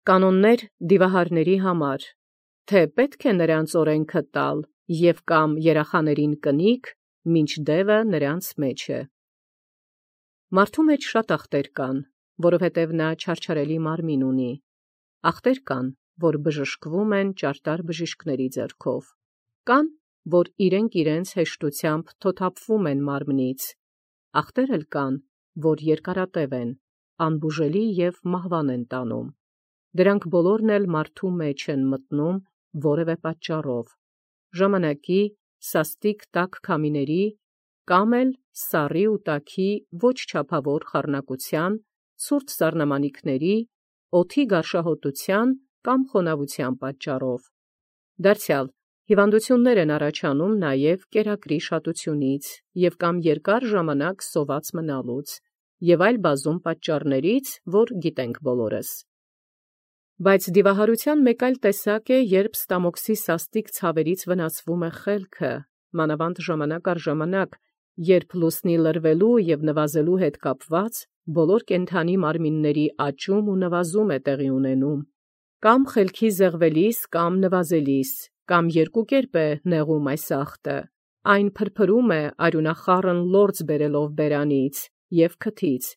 Կանոններ դիվահարների համար, թե պետք է նրանց օրենքը տալ և կամ երախաներին կնիք, մինչ դևը նրանց մեջ է։ Մարդու մեջ շատ ախտեր կան, որովհետև նա չարչարելի մարմին ունի։ Ախտեր կան, որ բժշկվում են ճարտար բժիշկների ձեռքով, կան, որ իրենց հեշտությամբ թոթափվում են մարմնից, ախտեր էլ կան, որ երկարատև են, անբուժելի և մահվան են տանում։ Դրանք բոլորն էլ մարդու մեջ են մտնում որևէ պատճառով, ժամանակի, սաստիկ տաք քամիների, կամ էլ սառի ու տաքի ոչ չափավոր խառնակության, ցուրտ սառնամանիքների, օդի գարշահոտության կամ խոնավության պատճառով։ Դարձյալ հիվանդություններ են առաջանում նաև կերակրի շատությունից և կամ երկար ժամանակ սոված մնալուց և այլ բազում պատճառներից, որ գիտենք բոլորս։ Բայց դիվահարության մեկ այլ տեսակ է, երբ ստամոքսի սաստիկ ցավերից վնասվում է խելքը, մանավանդ ժամանակ առ ժամանակ, երբ լուսնի լրվելու և նվազելու հետ կապված բոլոր կենդանի մարմինների աճում ու նվազում է տեղի ունենում, կամ խելքի զեղվելիս կամ նվազելիս, կամ երկու կերպ է նեղում այս ախտը, այն փրփրում է արյունախառն լորձ բերելով բերանից և քթից,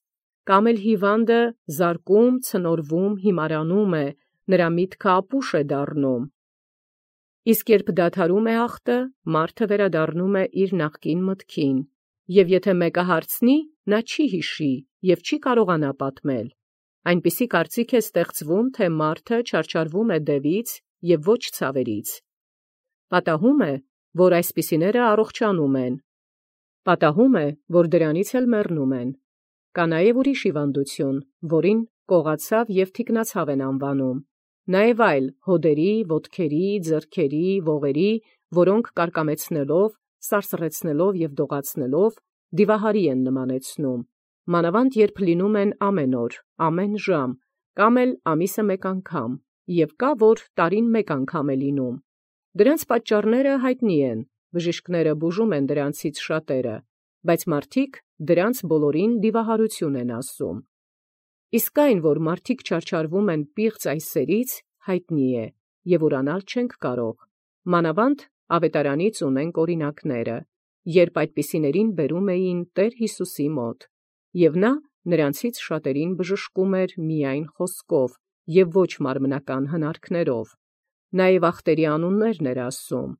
կամ էլ հիվանդը զարկում, ցնորվում, հիմարանում է, նրա միտքը ապուշ է դառնում։ Իսկ երբ դադարում է ախտը, մարդը վերադառնում է իր նախկին մտքին, և եթե մեկը հարցնի, նա չի հիշի և չի կարողանա պատմել։ Այնպիսի կարծիք է ստեղծվում, թե մարդը չարչարվում է դևից և ոչ ցավերից։ Պատահում է, որ այսպիսիները առողջանում են։ Պատահում է, որ դրանից էլ մեռնում են։ Կա նաև ուրիշ հիվանդություն, որին կողացավ և թիկնացավ են անվանում։ Նաև այլ հոդերի, ոտքերի, ձեռքերի, ողերի, որոնք կարկամեցնելով, սարսռեցնելով և դողացնելով դիվահարի են նմանեցնում, մանավանդ երբ լինում են ամեն օր, ամեն ժամ, կամ էլ ամիսը մեկ անգամ, և կա, որ տարին մեկ անգամ է լինում։ Դրանց պատճառները հայտնի են, բժիշկները բուժում են դրանցից շատերը, բայց մարդիկ դրանց բոլորին դիվահարություն են ասում։ Իսկ այն, որ մարդիկ չարչարվում են պիղծ այս սերից, հայտնի է, և ուրանալ չենք կարող, մանավանդ ավետարանից ունենք օրինակները, երբ այդպիսիներին բերում էին Տեր Հիսուսի մոտ, և նա նրանցից շատերին բժշկում էր միայն խոսքով և ոչ մարմնական հնարքներով, նաև ախտերի անուններն էր ասում,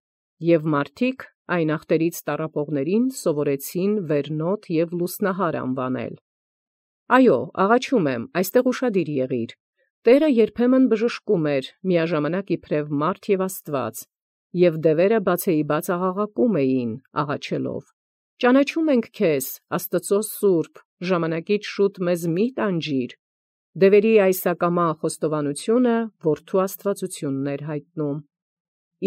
և մարդիկ այն ախտերից տառապողներին սովորեցին վերնոտ և լուսնահար անվանել։ Այո, աղաչում եմ, այստեղ ուշադիր եղիր։ Տերը երբեմն բժշկում էր միաժամանակ իբրև մարդ և Աստված, և դևերը բացեիբաց աղաղակում էին, աղաչելով. «Ճանաչում ենք քեզ, Աստծո սուրբ, ժամանակից շուտ մեզ մի՛ տանջիր»։ Դևերի այս ակամա խոստովանությունը որդու աստվածությունն էր հայտնում։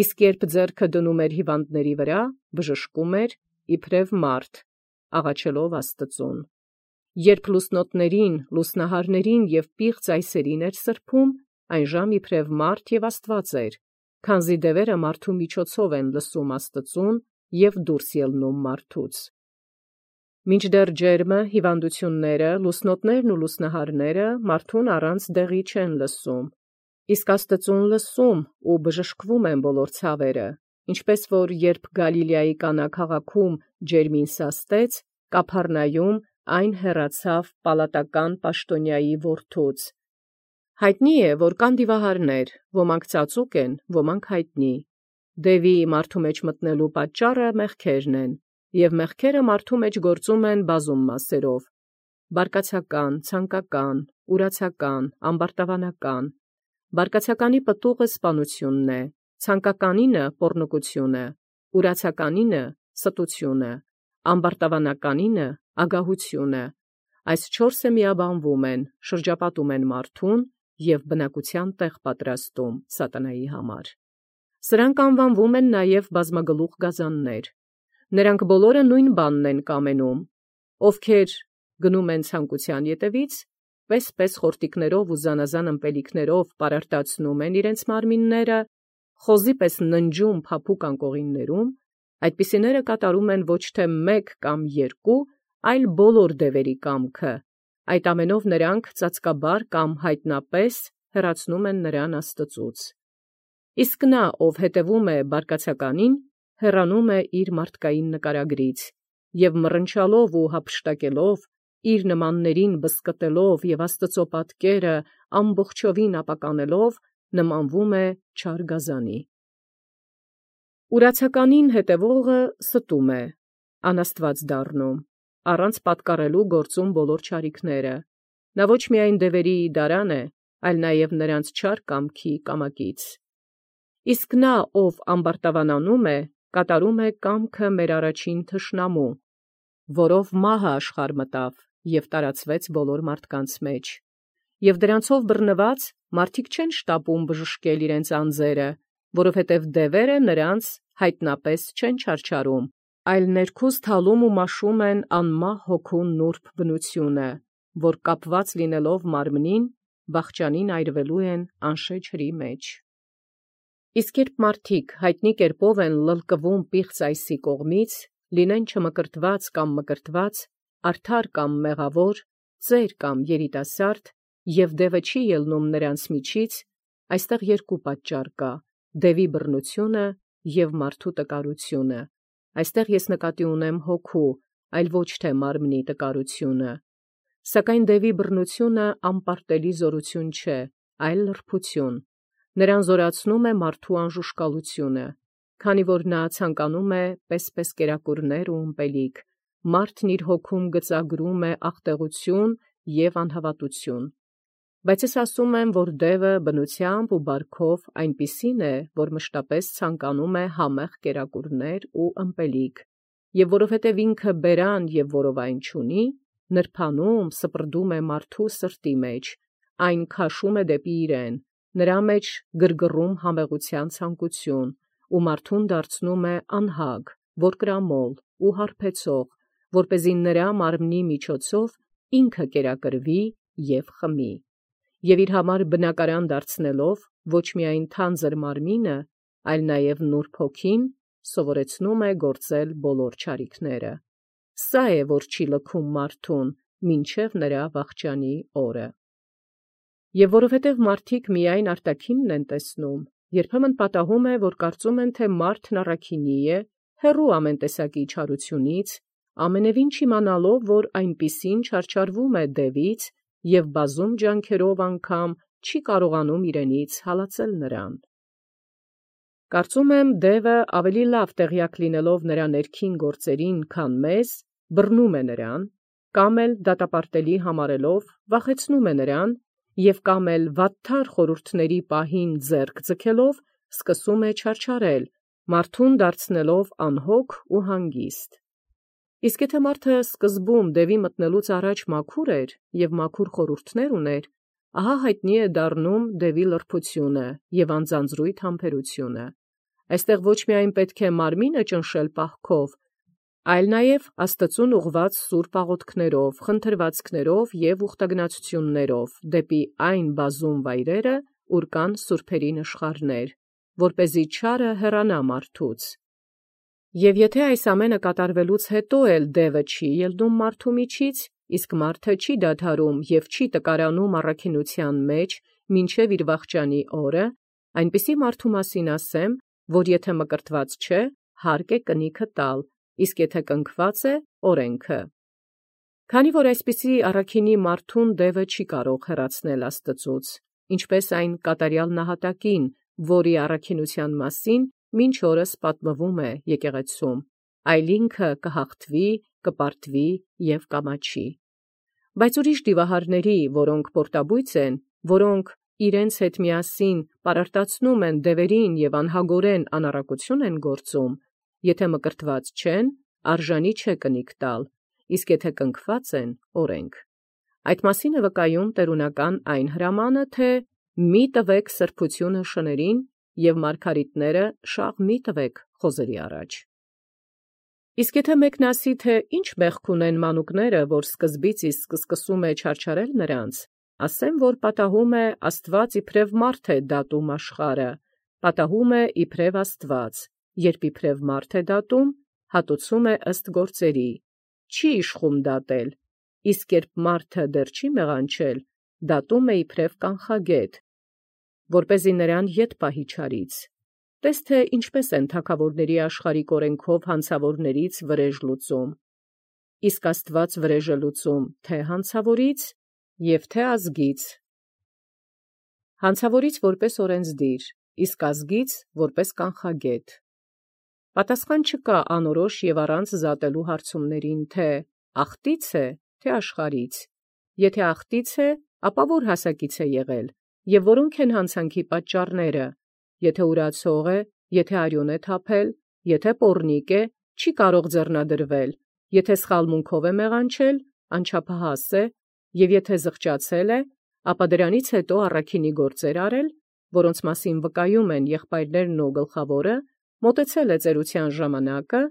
Իսկ երբ ձեռքը դնում էր հիվանդների վրա, բժշկում էր իբրև մարդ, աղաչելով Աստծուն։ Երբ լուսնոտներին, լուսնահարներին և պիղծ այսերին էր սրբում, այնժամ իբրև մարդ և Աստված էր, քանզի դևերը մարդու միջոցով են լսում Աստծուն և դուրս ելնում մարդուց։ Մինչդեռ ջերմը, հիվանդությունները, լուսնոտներն ու լուսնահարները մարդուն առանց դեղի չեն լսում, իսկ Աստծուն լսում ու բժշկվում են բոլոր ցավերը, ինչպես որ երբ Գալիլեայի Կանա քաղաքում ջերմին սաստեց, Կափառնայում այն հեռացավ պալատական պաշտոնյայի որդուց։ Հայտնի է, որ կան դիվահարներ, ոմանք ծածուկ են, ոմանք հայտնի։ Դևի մարդու մեջ մտնելու պատճառը մեղքերն են, և մեղքերը մարդու մեջ գործում են բազում մասերով. բարկացական, ցանկական, ուրացական, ամբարտավանական։ Բարկացականի պտուղը սպանությունն է, ցանկականինը պոռնկությունը, ուրացականինը ստությունը, ամբարտավանականինը ագահությունը։ Այս չորսը միաբանվում են, շրջապատում են մարդուն և բնակության տեղ պատրաստում սատանայի համար։ Սրանք անվանվում են նաև բազմագլուխ գազաններ։ Նրանք բոլորը նույն բանն են կամենում, ովքեր գնում են ցանկության ետևից, պես խորտիկներով ու զանազան ըմպելիքներով պարարտացնում են իրենց մարմինները, խոզի պես ննջում փափուկ անկողիններում, այդպիսիները կատարում են ոչ թե մեկ կամ երկու, այլ բոլոր դևերի կամքը։ Այդ ամենով նրանք ծածկաբար կամ հայտնապես հեռացնում են նրան Աստծուց։ Իսկ նա, ով հետևում է բարկացականին, հեռանում է իր մարդկային նկարագրից, և մռնչալով ու հափշտակելով, իր նմաններին բսկտելով և Աստծո պատկերը ամբողջովին ապականելով, նմանվում է չար գազանի։ Ուրացականին հետևողը ստում է, անաստված դառնում, առանց պատկառելու գործում բոլոր չարիքները։ Նա ոչ միայն դևերի դարան է, այլ նաև նրանց չար կամքի կամակից։ Իսկ նա, ով ամբարտավանանում է, կատարում է կամքը մեր առաջին թշնամու, որով մահը աշխարհ մտավ և տարածվեց բոլոր մարդկանց մեջ։ Եվ դրանցով բռնված մարդիկ չեն շտապում բժշկել իրենց անձերը, որովհետև դևերը նրանց հայտնապես չեն չարչարում, այլ ներքուզ թալում ու մաշում են անմահ հոգու նուրբ բնությունը, որ կապված լինելով մարմնին, վախճանին այրվելու են անշե ջրի մեջ։ Իսկ երբ մարդիկ հայտնի կերպով են լլկվում պիղծ այսի կողմից, լինեն չմկրտված կամ մկրտված, արդար կամ մեղավոր, ծեր կամ երիտասարդ, և դևը չի ելնում նրանց միջից, այստեղ երկու պատճառ կա. դևի բռնությունը և մարդու տկարությունը։ Այստեղ ես նկատի ունեմ հոգու, այլ ոչ թե մարմնի տկարությունը։ Սակայն դևի բռնությունը անպարտելի զորություն չէ, այլ լրբություն։ Նրան զորացնում է մարդու անժուշկալությունը, քանի որ նա ցանկանում է պես կերակուրներ ու ըմպելիք, մարդն իր հոգում գծագրում է աղտեղություն և անհավատություն։ Բայց ես ասում եմ, որ դևը բնությամբ ու բարքով այնպիսին է, որ մշտապես ցանկանում է համեղ կերակուրներ ու ըմպելիք, և որովհետև ինքը բերան և որովայն չունի, նրբանում, սպրդում է մարդու սրտի մեջ, այն քաշում է դեպի իրեն, նրա մեջ գրգռում համեղության ցանկություն, ու մարդուն դարձնում է անհագ, որկրամոլ ու հարբեցող, որպեսզի նրա մարմնի միջոցով ինքը կերակրվի և խմի։ Եվ իր համար բնակարան դարձնելով ոչ միայն թանձր մարմինը, այլ նաև նուրբ հոգին, սովորեցնում է գործել բոլոր չարիքները։ Սա է, որ չի լքում մարդուն, մինչև նրա վախճանի օրը։ Եվ որովհետև մարդիկ միայն արտաքինն են տեսնում, երբեմն պատահում է, որ կարծում են, թե մարդն առաքինի է, հեռու ամեն տեսակի չարությունից, ամենևին չիմանալով, որ այնպիսին չարչարվում է դևից և բազում ջանքերով անգամ չի կարողանում իրենից հալածել նրան։ Կարծում եմ, դևը ավելի լավ տեղյակ լինելով նրա ներքին գործերին, քան մեզ, բռնում է նրան, կամ էլ դատապարտելի համարելով վախեցնում է նրան, և կամ էլ վատթար խորհուրդների պահին ձեռք ձգելով սկսում է չարչարել, մարդուն դարձնելով անհոգ ու հանգիստ։ Իսկ եթե մարդը սկզբում դևի մտնելուց առաջ մաքուր էր և մաքուր խորհուրդներ ուներ, ահա հայտնի է դառնում դևի լրբությունը և անձանձրույթ համբերությունը։ Այստեղ ոչ միայն պետք է մարմինը ճնշել պահքով, այլ նաև Աստծուն ուղղված սուրբ աղոթքներով, խնդրվածքներով և ուխտագնացություններով դեպի այն բազում վայրերը, ուր կան սուրբերի նշխարներ, որպեսզի չարը հեռանա մարդուց։ Եվ եթե այս ամենը կատարվելուց հետո էլ դևը չի ելնում մարդու միջից, իսկ մարդը չի դադարում և չի տկարանում առաքինության մեջ մինչև իր վախճանի օրը, այնպիսի մարդու մասին ասեմ, որ եթե մկրտված չէ, հարկ է կնիքը տալ, իսկ եթե կնքված է, օրենքը։ Քանի որ այսպիսի առաքինի մարդուն դևը չի կարող հեռացնել Աստծուց, ինչպես այն կատարյալ նահատակին, որի առաքինության մասին մինչ օրս պատմվում է եկեղեցում, այլ ինքը կհաղթվի, կպարտվի և կամաչի։ Բայց ուրիշ դիվահարների, որոնք պորտաբույծ են, որոնք իրենց հետ միասին պարարտացնում են դևերին և անհագորեն անառակություն են գործում, եթե մկրտված չեն, արժանի չէ կնիք տալ, իսկ եթե կնքված են, օրենք։ Այդ մասին է վկայում տերունական այն հրամանը, թե «Մի տվեք սրբությունը շներին և մարգարիտները շաղ մի տվեք խոզերի առաջ»։ Իսկ եթե մեկն ասի, թե ինչ մեղք ունեն մանուկները, որ սկզբից իսկ սկսում է չարչարել նրանց, ասեմ, որ պատահում է Աստված իբրև մարդ է դատում աշխարհը, պատահում է իբրև Աստված, երբ իբրև մարդ է դատում, հատուցում է ըստ գործերի, չի իշխում դատել, իսկ երբ մարդը դեռ չի մեղանչել, դատում է իբրև կանխագետ, որպեսզի նրան ետ պահի չարից։ Տես թե ինչպես են թագավորների աշխարհիկ օրենքով հանցավորներից վրեժ լուծում։ Իսկ Աստված վրեժ է լուծում թե հանցավորից և թե ազգից։ Հանցավորից որպես օրենսդիր, իսկ ազգից որպես կանխագետ։ Պատասխան չկա անորոշ և առանց զատելու հարցումներին, թե ախտից է, թե աշխարհից։ Եթե ախտից է, ապա որ հասակից է եղել, և որոնք են հանցանքի պատճառները։ Եթե ուրացող է, եթե արյուն է թափել, եթե պոռնիկ է, չի կարող ձեռնադրվել, եթե սխալմունքով է մեղանչել, անչափահաս է, և եթե զղջացել է, ապա դրանից հետո առաքինի գործեր արել, որոնց մասին վկայում են եղբայրներն ու գլխավորը, մոտեցել է ծերության ժամանակը,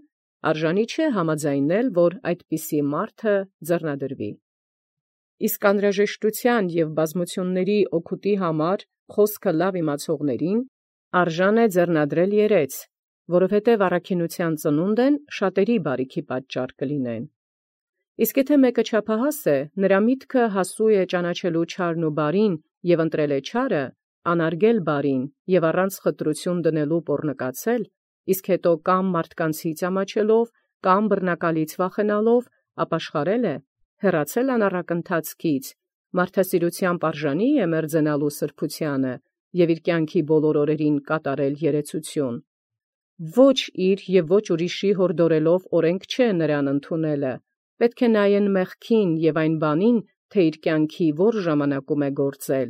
արժանի չէ համաձայնել, որ այդպիսի մարդը ձեռնադրվի։ Իսկ անհրաժեշտության և բազմությունների օգուտի համար խոսքը լավ իմացողներին արժան է ձեռնադրել երես, որովհետև առաքինության ծնունդն շատերի բարիքի պատճառ կլինեն։ Իսկ եթե մեկը չափահաս է, նրա միտքը հասու է ճանաչելու չարն ու բարին և ընտրել է չարը, անարգել բարին և առանց խտրություն դնելու պոռնկացել, իսկ հետո կամ մարդկանցից ամաչելով, կամ բռնակալից վախենալով ապաշխարել է, հեռացել անառակ ընթացքից, մարդասիրությամբ արժանի է մերձենալու սրբությանը և իր կյանքի բոլոր օրերին կատարել երեցություն։ Ոչ իր և ոչ ուրիշի հորդորելով օրենք չէ նրան ընդունելը, պետք է նայեն մեղքին և այն բանին, թե իր կյանքի որ ժամանակում է գործել։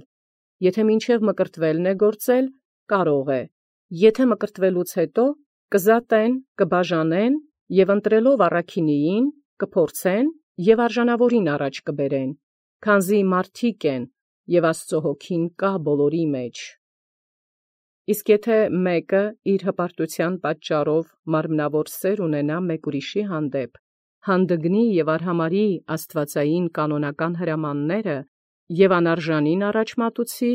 Եթե մինչև մկրտվելն է գործել, կարող է, եթե մկրտվելուց հետո կզատեն, կբաժանեն և ընտրելով առաքինիին, կփորձեն և արժանավորին առաջ կբերեն, քանզի մարդիկ են, և Աստծո հոգին կա բոլորի մեջ։ Իսկ եթե մեկը իր հպարտության պատճառով մարմնավոր սեր ունենա մեկ ուրիշի հանդեպ, հանդգնի և արհամարհի աստվածային կանոնական հրամանները և անարժանին առաջ մատուցի,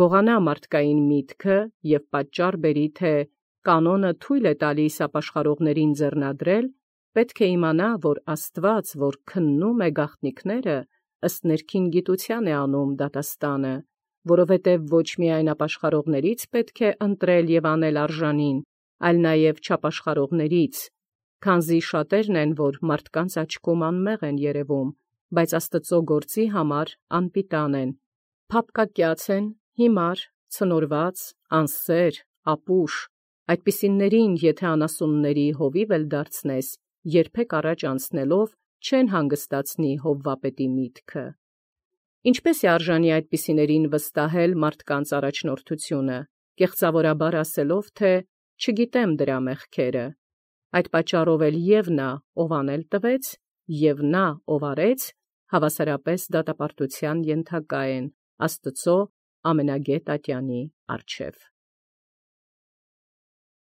գողանա մարդկային միտքը և պատճառ բերի, թե կանոնը թույլ է տալիս ապաշխարողներին ձեռնադրել, պետք է իմանա, որ Աստված, որ քննում է գաղտնիքները, ըստ ներքին գիտության է անում դատաստանը, որովհետև ոչ միայն ապաշխարողներից պետք է ընտրել և անել արժանին, այլ նաև չապաշխարողներից, քանզի շատերն են, որ մարդկանց աչքում անմեղ են երևում, բայց Աստծո գործի համար անպիտան են, փափկակյաց են, հիմար, ցնորված, անսեր, ապուշ, այդպիսիներին եթե անասունների հովիվ էլ դարձնես, երբեք առաջ անցնելով չեն հանգստացնի հովվապետի միտքը։ Ինչպե՞ս է արժանի այդպիսիներին վստահել մարդկանց առաջնորդությունը, կեղծավորաբար ասելով, թե «չգիտեմ դրա մեղքերը»։ Այդ պատճառով էլ և նա, ով անել տվեց, և նա, ով արեց, հավասարապես դատապարտության ենթակա են Աստծո ամենագետ ատյանի առջև։